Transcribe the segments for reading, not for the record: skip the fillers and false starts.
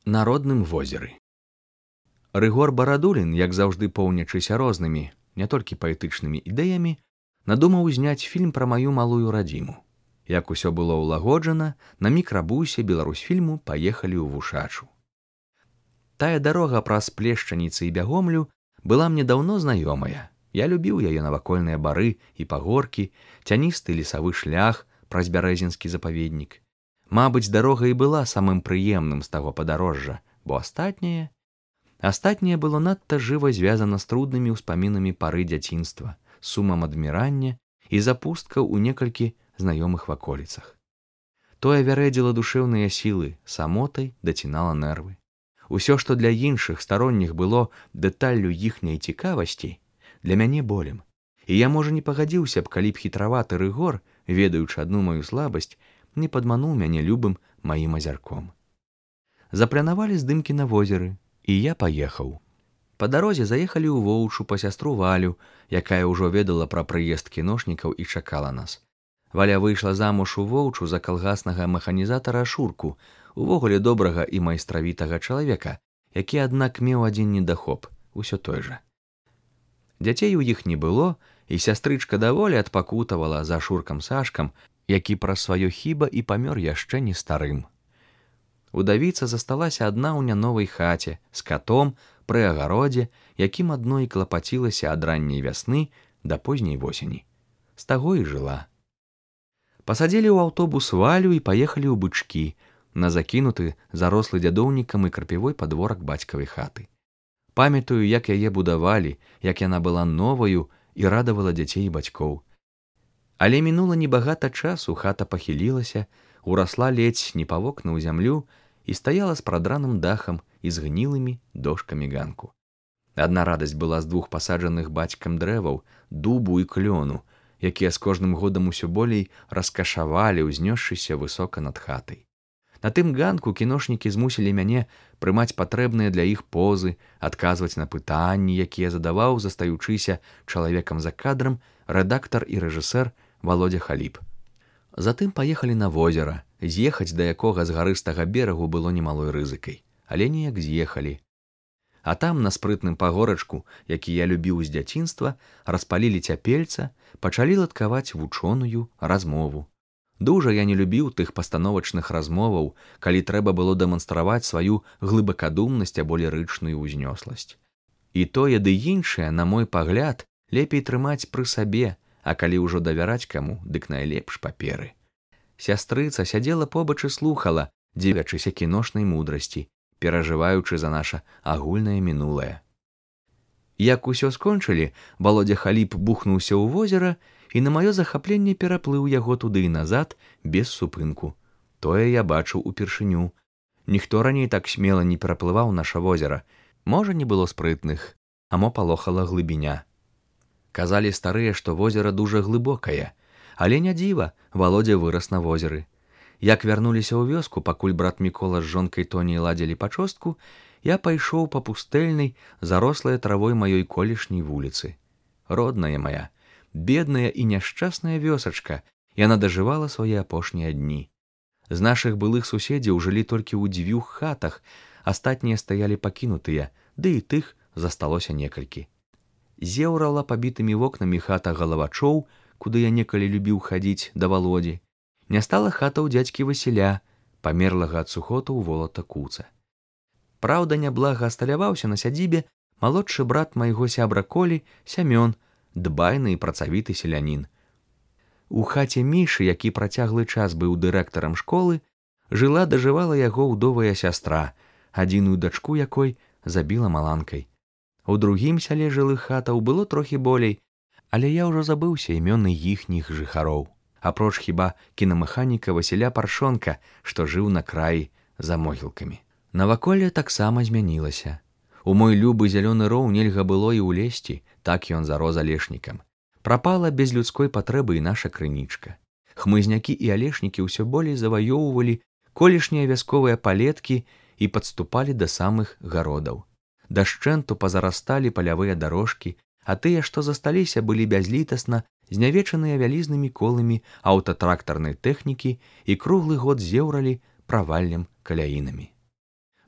На родным возеры. Рыгор Барадулін, як заўжды поўнячыся рознымі, не толькі паэтычнымі ідэямі, надумаў зняць фільм пра маю малую радзіму. Як усё было ўлагоджана, на мікрабусе Беларусьфільму паехалі ў Вушачу. Тая дарога праз Плешчаніцы і Бягомлю была мне даўно знаёмая. Я любіў яе навакольныя бары і пагоркі, цяністы лесавы шлях праз бярэзінскі запаведнік. Мабыць, дарога і была самым прыемным з таго падарожжа, бо астатняе было надта жыва звязана з труднымі ўспамінамі пары дзяцінства, сумам адмірання і запусткаў у некалькі знаёмых ваколіцах. Тое вярэдзіла душэўныя сілы, самотай дацінала нервы. Усё, што для іншых старонніх было дэталлю іхняй цікавасці, для мяне болем. І я, можа, не пагадзіўся б, калі б хітраваты Рыгор, ведаючы адну маю слабасць, не падмануў мяне любым маім азярком. Запланавалі здымкі на возеры, і я паехаў. Па дарозе заехалі ў Воўчу па сястру Валю, якая ўжо ведала пра прыезд кіношнікаў і чакала нас. Валя выйшла замуж у Воўчу за калгаснага механізатара Шурку, увогуле добрага і майстравітага чалавека, які, аднак, меў адзін недахоп, усё той жа. Дзяцей у іх не было, і сястрычка даволі адпакутавала за Шуркам Сашкам, які праз сваё хіба і памёр яшчэ не старым. Удавіца засталася адна ў няновай хаце з катом пры агародзе, якім адно і клапацілася ад ранняй вясны да позняй восені. З таго і жыла. Пасадзілі ў аўтобус Валю і паехалі ў Бычкі, на закінуты зарослы дзядоўнікам і крапівой падворак бацькавай хаты. Памятаю, як яе будавалі, як яна была новаю і радавала дзяцей і бацькоў. Але мінула небагата часу, хата пахілілася, урасла ледзь не па вокны ў зямлю і стаяла з прадраным дахам і з гнілымі дошкамі ганку. Адна радасць была з двух пасаджаных бацькам дрэваў, дубу і клёну, якія з кожным годам усё болей раскашавалі, узнёсшыся высока над хатай. На тым ганку кіношнікі змусілі мяне прымаць патрэбныя для іх позы, адказваць на пытанні, якія задаваў, застаючыся чалавекам за кадрам, рэдактар і рэжысэр Володя Халіп. Затым паехалі на возера, з'ехаць да якога з гарыстага берагу было немалой рызыкай, але неяк з'ехалі. А там, на спрытным пагорачку, які я любіў з дзяцінства, распалілі цяпельца, пачалі ладкаваць вучоную размову. Дужа я не любіў тых пастановачных размоваў, калі трэба было дэманстраваць сваю глыбакадумнасць або лірычную ўзнёсласць. І тое ды іншае, на мой пагляд, лепей трымаць пры сабе, а калі ўжо давяраць каму, дык найлепш паперы. Сястрыца сядзела побач і слухала, дзівячыся кіношнай мудрасці, перажываючы за наша агульнае мінулае. Як усё скончылі, Володя Халіп бухнуўся ў возера і на маё захапленне пераплыў яго туды і назад без супынку. Тое я бачыў упершыню. Ніхто раней так смела не пераплываў наша возера. Можа, не было спрытных, а мо палохала глыбіня. Казалі старыя, што возера дужа глыбокае, але не дзіва, Володя вырас на возеры. Як вярнуліся ў вёску, пакуль брат Мікола з жонкай Тоняй ладзілі пачостку, я пайшоў па пустэльнай, зарослай травой маёй колішняй вуліцы. Родная моя, бедная і няшчасная вёсачка, яна дажывала свае апошнія дні. З нашых былых суседзяў жылі толькі ў 2 хатах, астатнія стаялі пакінутыя, ды і тых засталося некалькі. Зеўрала пабітымі вокнамі хата Галавачоў, куды я некалі любіў хадзіць да Володзі. Не стала хата ў дзядзькі Васіля, памерлага ад сухоту ў Волата Куца. Праўда, няблага асталяваўся на сядзібе малодшы брат майго сябра Колі, Сямён, дбайны і працавіты селянін. У хаце Мішы, які працяглы час быў дырэктарам школы, дажывала яго ўдовая сястра, адзіную дачку якой забіла маланкай. У другім сяле жылых хатаў было трохі болей, але я ўжо забыўся імёны іхніх жыхароў, апроч хіба кінамеханіка Васіля Паршонка, што жыў на краі за могілкамі. Наваколле таксама змянілася. У мой любы зялёны роў нельга было і ўлезці, так ён зарос алешнікам. Прапала без людской патрэбы і наша крынічка. Хмызнякі і алешнікі ўсё болей заваёўвалі колішнія вясковыя палеткі і падступалі да самых гародаў. Дашчэнту пазарасталі палявыя дарожкі, а тыя, што засталіся, былі бязлітасна знявечаныя вялізнымі коламі аўтатрактарнай тэхнікі і круглы год зеўралі праваллем каляінамі.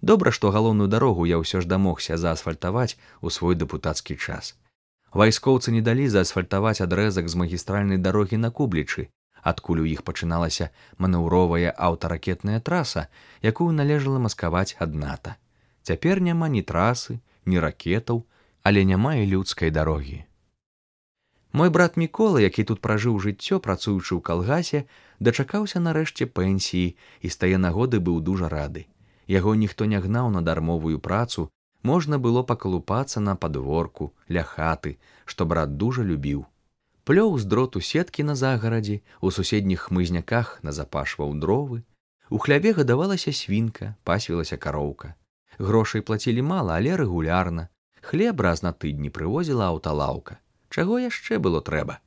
Добра, што галоўную дарогу я ўсё ж дамогся заасфальтаваць у свой дэпутацкі час. Вайскоўцы не далі заасфальтаваць адрэзак з магістральнай дарогі на Кублічы, адкуль у іх пачыналася манеўровая аўтаракетная траса, якую належала маскаваць ад НАТО. Цяпер няма ні трасы, ні ракетаў, але няма і людскай дарогі. Мой брат Мікола, які тут пражыў жыццё, працуючы ў калгасе, дачакаўся нарэшце пенсіі і з тае нагоды быў дужа рады. Яго ніхто не гнаў на дармовую працу, можна было пакалупацца на падворку, ля хаты, што брат дужа любіў. Плёў з дроту сеткі на загарадзе, у суседніх хмызняках назапашваў дровы. У хляве гадавалася свінка, пасвілася кароўка. Грошай плацілі мала, але рэгулярна. Хлеб раз на тыдні прывозіла аўталаўка. Чаго яшчэ было трэба?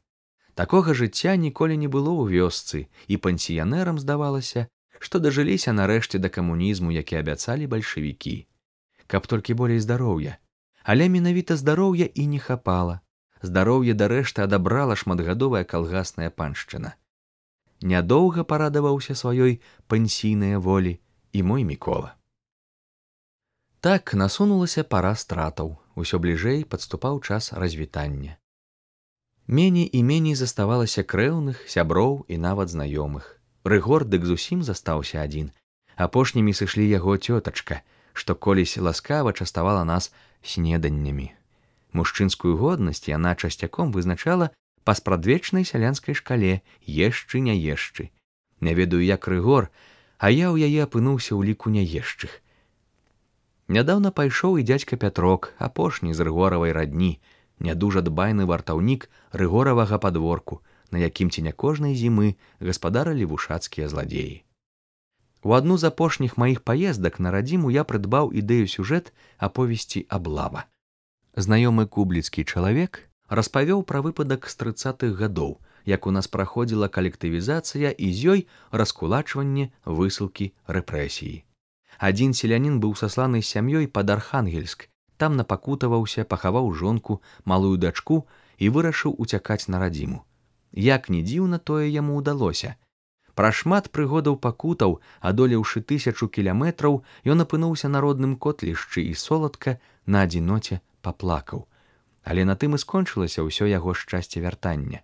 Такога жыцця ніколі не было ў вёсцы, і пенсіянерам здавалася, што дажыліся нарэшце да камунізму, які абяцалі бальшавікі. Каб толькі болей здароўя. Але менавіта здароўя і не хапала. Здароўе дарэшты адабрала шматгадовая калгасная паншчына. Нядоўга парадаваўся сваёй пенсійнай волі і мой Мікола. Так насунулася пара стратаў, усё бліжэй падступаў час развітання. Меней і меней заставалася крэўных, сяброў і нават знаёмых. Рыгор дык зусім застаўся адзін. Апошнімі сышлі яго цётачка, што колісь ласкава частавала нас снеданнямі. Мужчынскую годнасць яна часцяком вызначала па спрадвечнай сялянскай шкале «ешчы, не ешчы». Не ведаю, як Рыгор, а я ў яе апынуўся ў ліку няешчых. Нядаўна пайшоў і дзядзька Пятрок, апошні з Рыгоравай радні, нядужа дбайны вартаўнік Рыгоравага падворку, на якім ці не кожнай зімы гаспадарылі вушацкія зладзеі. У адну з апошніх маіх паездак на радзіму я прыдбаў ідэю сюжэт аповесці «Аблава». Знаёмы кубліцкі чалавек распавёў пра выпадак з 30-х гадоў, як у нас праходзіла калектывізацыя і з ёй раскулачванне, высылкі, рэпрэсіі. Адзін селянін быў сасланы з сям'ёй пад Архангельск, там напакутаваўся, пахаваў жонку, малую дачку і вырашыў уцякаць на радзіму. Як ні дзіўна, тое яму ўдалося. Пра шмат прыгодаў пакутаў, адолеўшы 1000 кіламетраў, ён апынуўся на родным котлішчы і соладка на адзіноце паплакаў. Але на тым і скончылася ўсё яго шчасце вяртання.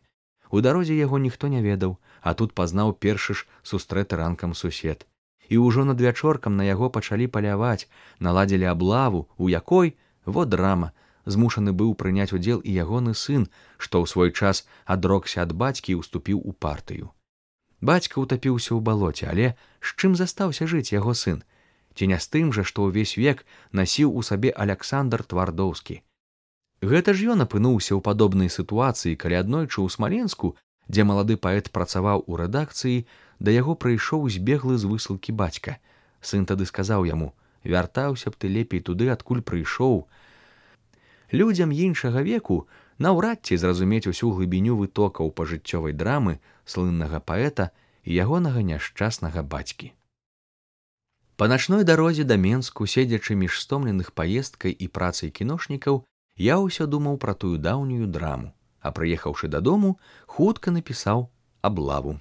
У дарозе яго ніхто не ведаў, а тут пазнаў першы ж сустрэты ранкам сусед. І ўжо над вячоркам на яго пачалі паляваць, наладзілі аблаву, у якой, во драма, змушаны быў прыняць удзел і ягоны сын, што ў свой час адрокся ад бацькі і ўступіў у партыю. Бацька ўтапіўся ў балоце, але з чым застаўся жыць яго сын? Ці не з тым жа, што ўвесь век насіў у сабе Аляксандр Твардоўскі. Гэта ж ён апынуўся ў падобнай сітуацыі, калі аднойчы ў Смаленску, дзе малады паэт працаваў у рэдакцыі, да яго прыйшоў збеглы з высылкі бацька. Сын тады сказаў яму: «Вяртаўся б ты лепей туды, адкуль прыйшоў». Людзям іншага веку наўрад ці зразумець усю глыбіню вытокаў пажыццёвай драмы слыннага паэта і ягонага няшчаснага бацькі. Па начной дарозе да Менску, седзячы між стомленых паездкай і працай кіношнікаў, я ўсё думаў пра тую даўнюю драму, а прыехаўшы дадому, хутка напісаў «Аблаву».